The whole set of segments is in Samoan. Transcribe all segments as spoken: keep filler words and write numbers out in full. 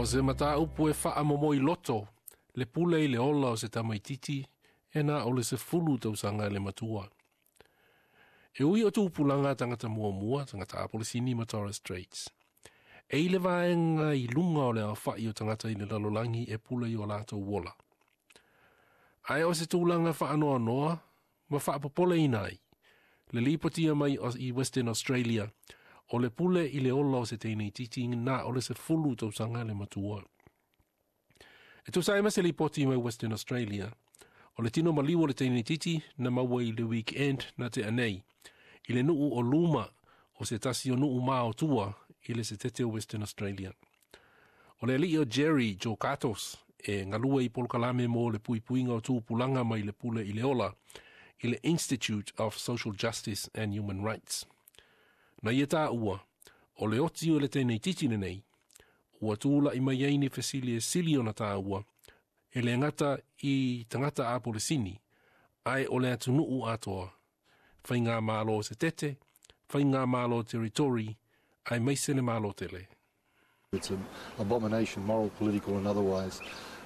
se mataupu e faamomoi loto, le pule i le ola o se tamaititi, e na o le sefulu tausaga le matua. E ui o tupulaga tagata muamua, tagata Apolisini ma Torres Straits. E i le vaega i luga o le aofa'i o tagata i le lalolagi e pule i o latou ola. Ae o se tulaga faanoanoa ma faapopoleina ai, le lipotia mai i Western Australia, o le pule i le ola o se teineitiiti na o le sefulu tausaga le matua. E tusa ai ma se lipoti mai Western Australia, o le tino maliu o le teineitiiti na maua i le weekend na tea nei, i le nuu o Looma o se tasi o nuu maotua i le setete o Western Australia. O le alii o Jerry Georgatos e galue i polokalame mo le puipuiga o tupulaga mai le pule i le ola i le Institute of Social Justice and Human Rights. Na ia taua, o le oti o le teineitiiti lenei, ua tula'i mai ai ni fesili e sili ona taua, e le gata i tagata Apolisini, ae o le atunuu atoa, faigamalo setete, faigamalo territory, aemaise le Malo tele. It's an abomination, moral, political and otherwise.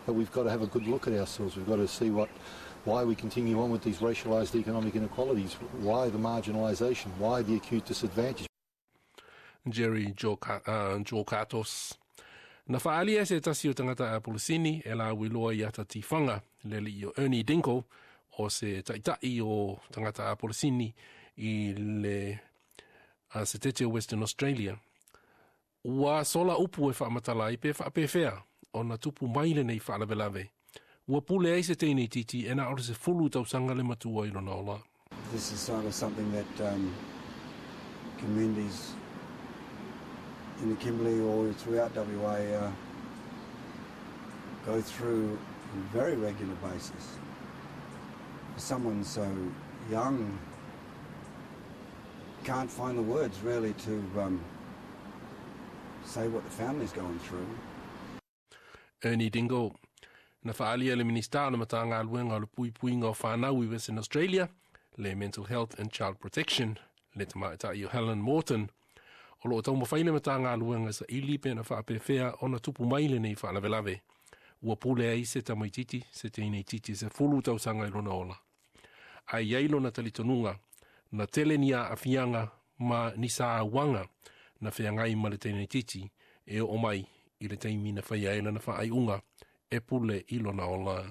But we've got to have a good look at ourselves. We've got to see what, why we continue on with these racialised economic inequalities, why the marginalisation, why the acute disadvantage. Jerry Georgatos. Na faaalia se tasi o tagata Apolisini e lauiloa i ata tifaga le alii o Ernie Dingo o se ta'ita'i o tagata Apolisini i le uh, setete o Western Australia. Ua sola upu e faamatala ai pe faapefea ona tupu mai lenei faalavelave. Ua pule ai se teineitiiti e na o le sefulu tausaga le matua i lona ola. This is sort of something that um, communities in the Kimberley or throughout W A uh, go through on a very regular basis. For someone so young, can't find the words really to um, say what the family's going through. Ernie Dingo. Na faaalia le Minista o le Matagaluega o le Puipuiga o Fanau i Western Australia, le Mental Health and Child Protection, le tamaitai o Helen Morton, o loo taumafai le Matagaluega saili pe na faapefea ona tupu mai lenei faalavelave. Ua pule ai se tamaititi, se teineitiiti sefulu tausaga i lona ola. Ae i ai lona talitonuga, na tele ni aafiaga ma ni sauaga na feagai ma le teineitiiti e oo mai i le taimi na faia ai lana faaiuga e pule i lona ola.